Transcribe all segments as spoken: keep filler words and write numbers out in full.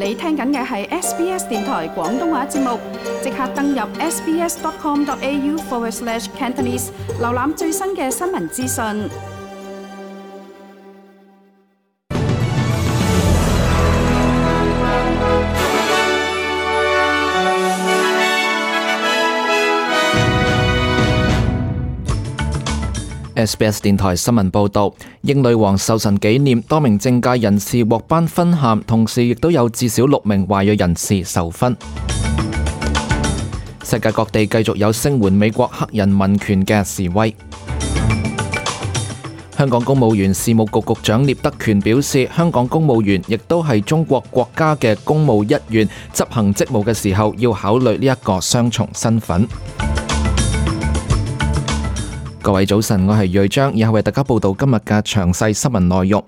你聽緊嘅係 S B S 電台廣東話節目，即刻登入 sbs.com.au forward slash Cantonese， 瀏覽最新嘅新聞資訊。S B S 電台新聞報道，英女王壽辰紀念，多名政界人士獲頒勳銜，同時亦都有至少六名華裔人士受勳。世界各地繼續有聲援美國黑人民權嘅示威。香港公務員事務局局長聶德權表示，香港公務員亦都係中國國家嘅公務一員，執行職務嘅時候要考慮呢一個雙重身份。各位早晨，我係瑞章，以後為大家報道今日嘅詳細新聞內容。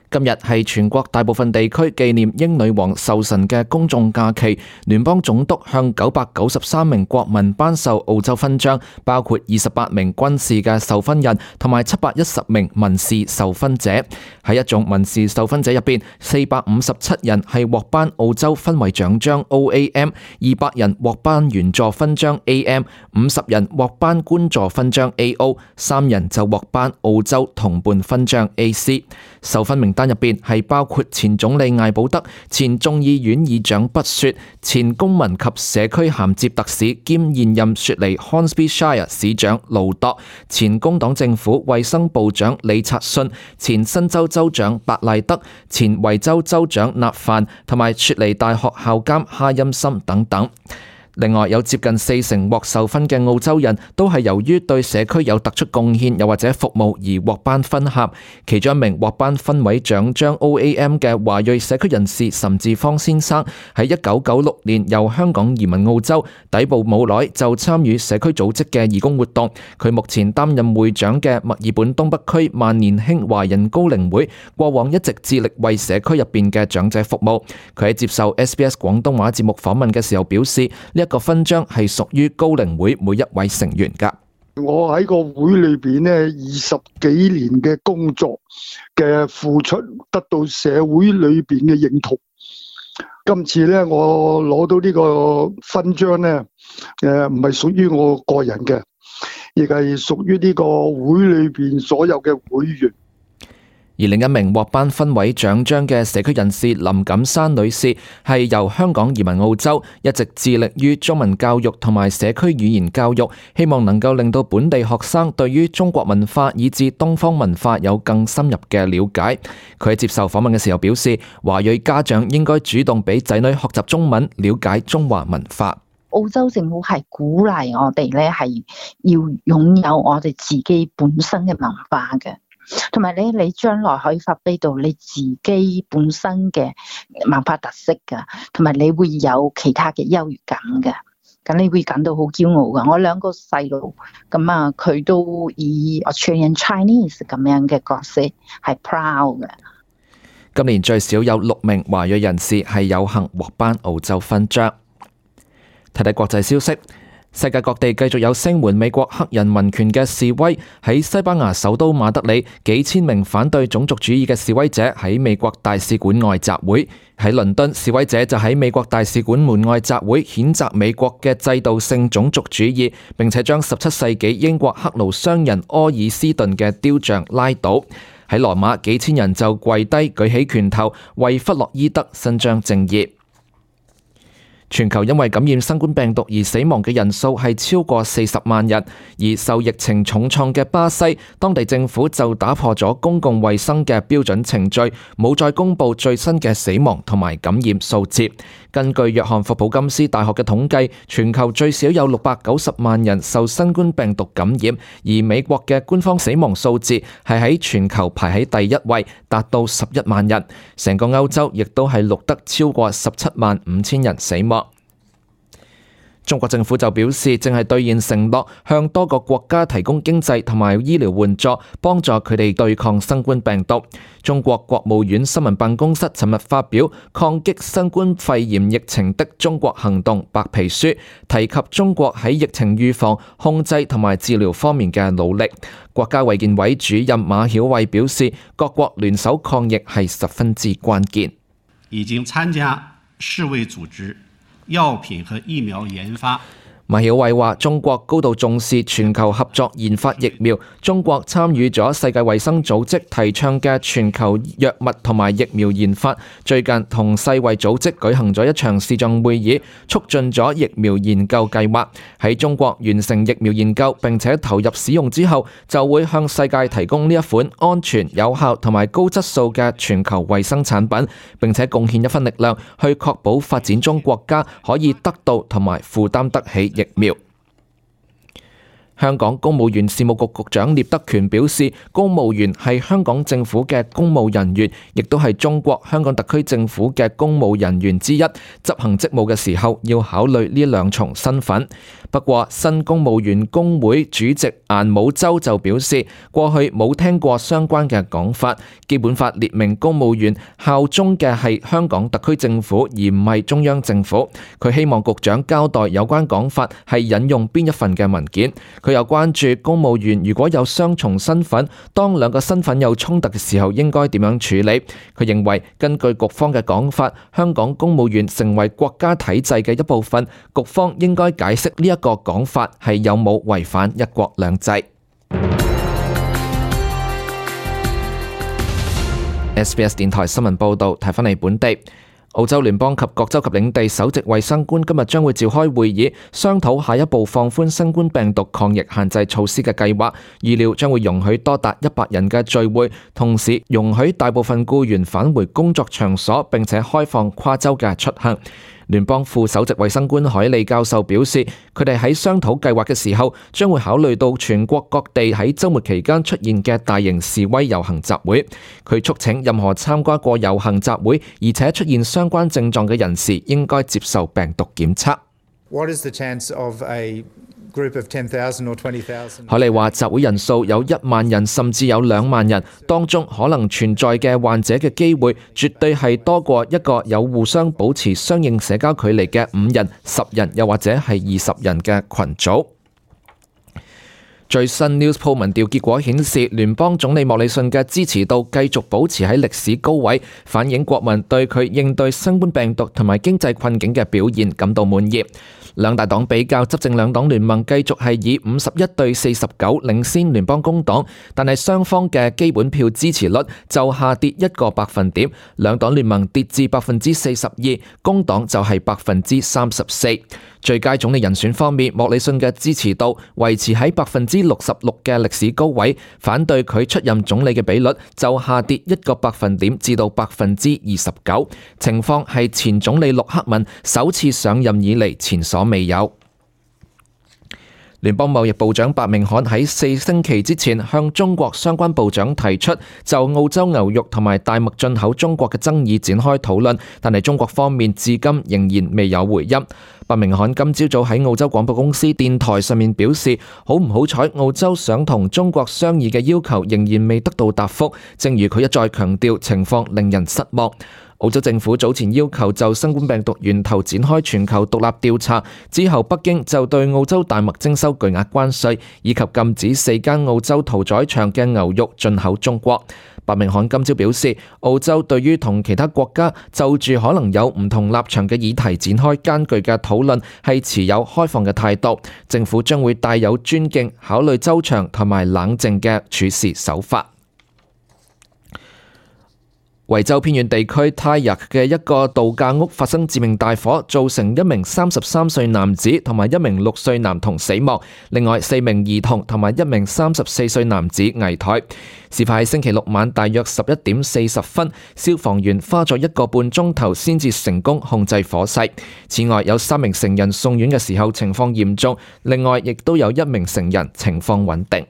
今日係全國大部分地區紀念英女王壽辰嘅公眾假期，聯邦總督向九百九十三名國民頒授澳洲勳章，包括二十八名軍事嘅受勳人同埋七百一十名民事受勳者。喺一眾民事受勳者入邊，四百五十七人係獲頒澳洲勳位獎章 O A M， 二百人獲頒員佐勳章 A M， 五十人獲頒官佐勳章 A O， 三人就獲頒澳洲同伴勳章 A C。受勳名單入邊係包括前總理艾保德、前眾議院議長畢雪、前公民及社區銜接特使兼現任雪梨 Hornsby Shire 市長盧鐸、前工黨政府衛生部長李察信、前新州州長白賴德、前維州州長納范同埋雪梨大學校監哈欽森等等。另外有接近四成獲授勳嘅澳洲人都係由於對社區有突出貢獻又或者服務而獲頒勳銜。其中一名獲頒勳位獎章 O A M 嘅華裔社區人士岑志芳先生，喺一九九六年由香港移民澳洲，抵埗冇耐就參與社區組織嘅義工活動。佢目前擔任會長嘅墨爾本東北區萬年興華人高齡會，過往一直致力為社區入邊嘅長者服務。佢喺接受 S B S 廣東話節目訪問嘅時候表示，一個勳章係屬於高齡會每一位成員噶。我喺個會裏邊咧，二十幾年嘅工作嘅付出，得到社會裏邊嘅認同。今次咧，我攞到呢個勳章咧，誒唔係屬於我個人嘅，亦係屬於呢個會裏邊所有嘅會員。而另一名獲頒勳位獎章嘅社區人士林錦珊女士，係由香港移民澳洲，一直致力於中文教育同埋社區語言教育，希望能夠令到本地學生對於中國文化以至東方文化有更深入嘅了解。佢喺接受訪問嘅時候表示，華裔家長應該主動俾仔女學習中文，了解中華文化。澳洲政府係鼓勵我哋咧，係要擁有我哋自己本身嘅文化嘅。同埋你你將來可以發揮到你自己本身嘅文化特色噶，同埋你會有其他嘅優越感嘅，咁你會感到好驕傲噶。我兩個細路咁啊，佢都以 Australian Chinese 咁樣嘅角色係 proud 嘅。今年最少有六名華裔人士係有幸獲頒澳洲勳章。睇睇國際消息。世界各地繼續有聲援美國黑人民權嘅示威。喺西班牙首都馬德里，幾千名反對種族主義嘅示威者喺美國大使館外集會。喺倫敦，示威者就喺美國大使館門外集會，譴責美國嘅制度性種族主義，並且將十七世紀英國黑奴商人柯爾斯頓嘅雕像拉倒。喺羅馬，幾千人就跪低舉起拳頭，為弗洛伊德伸張正義。全球因為感染新冠病毒而死亡嘅人數係超過四十萬人，而受疫情重創嘅巴西，當地政府就打破咗公共衛生嘅標準程序，冇再公布最新嘅死亡同埋感染數字。根據約翰霍普金斯大學嘅統計，全球最少有六百九十萬人受新冠病毒感染，而美國嘅官方死亡數字係喺全球排喺第一位，達到十一萬人。成個歐洲亦都係錄得超過十七萬五千人死亡。中國政府就表示，正係兌現承諾，向多個國家提供經濟同埋醫療援助，幫助佢哋對抗新冠病毒。中國國務院新聞辦公室尋日發表《抗擊新冠肺炎疫情的中國行動白皮書》，提及中國喺疫情預防、控制同埋治療方面嘅努力。國家衛健委主任馬曉偉表示，各國聯手抗疫係十分之關鍵。已經參加世衛組織藥品和疫苗研發。馬曉偉話：中國高度重視全球合作研發疫苗，中國參與咗世界衛生組織提倡嘅全球藥物同埋疫苗研發。最近同世衛組織舉行咗一場視像會議，促進咗疫苗研究計劃。喺中國完成疫苗研究並且投入使用之後，就會向世界提供呢一款安全、有效同埋高質素嘅全球衛生產品，並且貢獻一分力量去確保發展中國家可以得到同埋負擔得起疫苗。香港公務員事務局局長聶德權表示，公務員係香港政府嘅公務人員，亦都係中國香港特區政府嘅公務人員之一。執行職務嘅時候要考慮呢兩重身份。不過，新公務員工會主席顏武洲就表示，過去冇聽過相關嘅講法。基本法列明公務員效忠嘅係香港特區政府，而唔係中央政府。佢希望局長交代有關講法係引用邊一份嘅文件。佢又關注公務員如果有雙重身份，當兩個身份有衝突嘅時候應該點樣處理。佢認為根據局方嘅講法，香港公務員成為國家體制嘅一部分，局方應該解釋呢一個講法係有冇違反一國兩制。S B S 電台新聞報道，睇返嚟本地。澳洲聯邦及各州及領地首席衛生官今日將會召開會議，商討下一步放寬新冠病毒抗疫限制措施嘅計劃，預料將會容許多達一百人嘅聚會，同時容許大部分僱員返回工作場所，並且開放跨州嘅出行。聯邦副首席衛生官海利教授表示，佢哋喺商討計劃嘅時候，將會考慮到全國各地喺週末期間出現嘅大型示威遊行集會。佢促請任何參加過遊行集會而且出現相關症狀嘅人士，應該接受病毒檢測。What is the chance of a group of ten thousand or twenty thousand? 海利話集會人數有一萬人甚至有兩萬人，當中可能存在嘅患者嘅機會絕對係多過一個有互相保持相應社交距離嘅五人、十人又或者係二十人嘅群組。最新 Newspoll 民調結果顯示，聯邦總理莫里遜嘅支持度繼續保持喺歷史高位，反映國民對佢應對新冠病毒同埋經濟困境嘅表現感到滿意。兩大黨比較，執政兩黨聯盟繼續係以五十一對四十九領先聯邦工黨，但係雙方嘅基本票支持率就下跌一個百分點，兩黨聯盟跌至百分之四十二，工黨就係百分之三十四。最佳總理人選方面，莫里遜嘅支持度維持喺百分之六十六嘅歷史高位，反對佢出任總理嘅比率就下跌一個百分點至到百分之二十九，情況係前總理陸克文首次上任以嚟前所未有。聯邦貿易部長白明漢喺四星期之前向中國相關部長提出就澳洲牛肉同埋大麥進口中國嘅爭議展開討論，但係中國方面至今仍然未有回音。白明漢今朝早喺澳洲廣播公司電台上面表示，好唔好彩澳洲想同中國商議嘅要求仍然未得到答覆，正如佢一再強調，情況令人失望。澳洲政府早前要求就新冠病毒源頭展開全球獨立調查，之後北京就對澳洲大麥徵收巨額關稅，以及禁止四間澳洲屠宰場嘅牛肉進口中國。白明漢今朝表示，澳洲對於同其他國家就住可能有唔同立場嘅議題展開艱巨嘅討論，係持有開放嘅態度，政府將會帶有尊敬、考慮周詳同埋冷靜嘅處事手法。維州偏遠地區泰若嘅一個度假屋發生致命大火，造成一名三十三歲男子同埋一名六歲男童死亡，另外四名兒童同埋一名三十四歲男子危殆。事發喺星期六晚大約十一點四十分，消防員花咗一個半鐘頭先至成功控制火勢。此外，有三名成人送院嘅時候情況嚴重，另外亦都有一名成人情況穩定。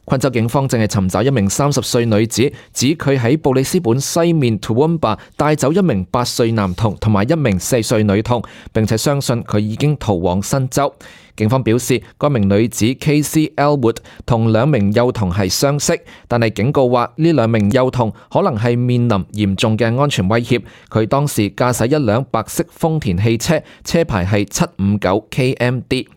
昆州警方正係尋找一名三十歲女子，指佢喺布里斯本西面 Toowoomba 帶走一名八歲男童同埋一名四歲女童，並且相信佢已經逃往新州。警方表示，該名女子 K C Elwood 同兩名幼童係相識，但係警告話呢兩名幼童可能係面臨嚴重嘅安全威脅。佢當時駕駛一輛白色豐田汽車，車牌係七五九 K M D。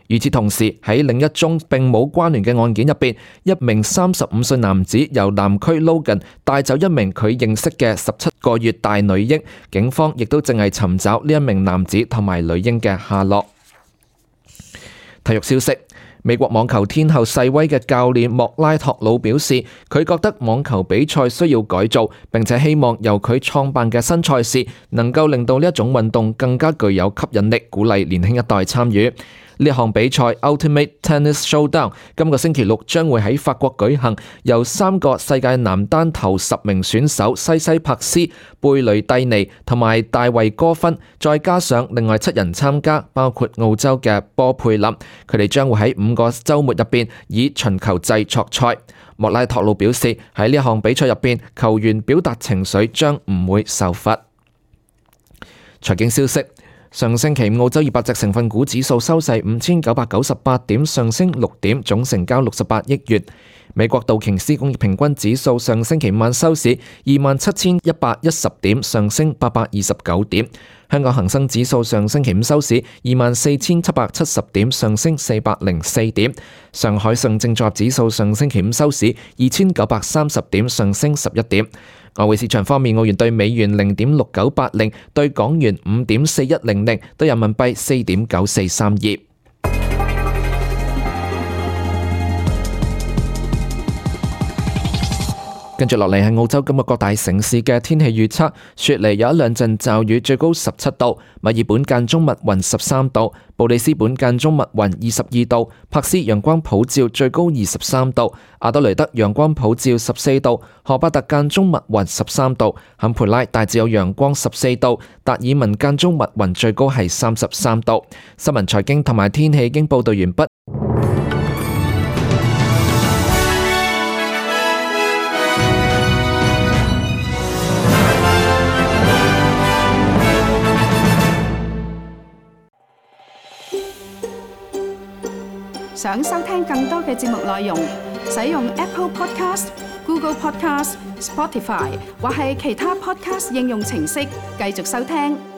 與此同時，喺另一宗並冇關聯嘅案件入邊，一名三十五歲男子由南區 Logan 帶走一名佢認識嘅十七個月大女嬰，警方亦都正係尋找呢一名男子同埋女嬰嘅下落。體育消息。美國網球天后世威嘅教練莫拉托魯表示，佢覺得網球比賽需要改造，並且希望由佢創辦嘅新賽事能夠令到呢一種運動更加具有吸引力，鼓勵年輕一代參與。呢項比賽 Ultimate Tennis Showdown 今個星期六將會喺法國舉行，由三個世界男單頭十名選手西西帕斯、貝雷蒂尼同埋大衛戈芬，再加上另外七人參加，包括澳洲嘅波佩林，佢哋將會喺五個週末入邊以巡球制作賽。莫拉托魯表示，喺呢項比賽入邊，球員表達情緒將唔會受罰。財經消息。上星期澳洲二百隻成分股指數收市五千九百九十八點，上升六點，總成交六十八億元。美國道瓊斯工業平均指數上星期五晚收市二萬七千一百一十點，上升八百二十九點。香港恒生指數上星期五收市二萬四千七百七十點，上升四百零四點。上海上證綜合指數上星期五收市二千九百三十點，上升十一點。外匯市場方面，澳元對美元零點六九八零，對港元五點四一零零，對人民幣四點九四三二。跟住落嚟係澳洲今日各大城市嘅天氣預測。雪梨有一兩陣驟雨，最高十七度；墨爾本間中密雲十三度；布里斯本間中密雲二十二度；珀斯陽光普照，最高二十三度；阿德雷德陽光普照十四度；荷巴特間中密雲十三度；坎培拉大致有陽光十四度；達爾文間中密雲，最高係三十三度。新聞財經同埋天氣已經報道完畢。想收聽更多嘅節目內容，使用 Apple Podcast、Google Podcast、Spotify 或係其他 Podcast 應用程式繼續收聽。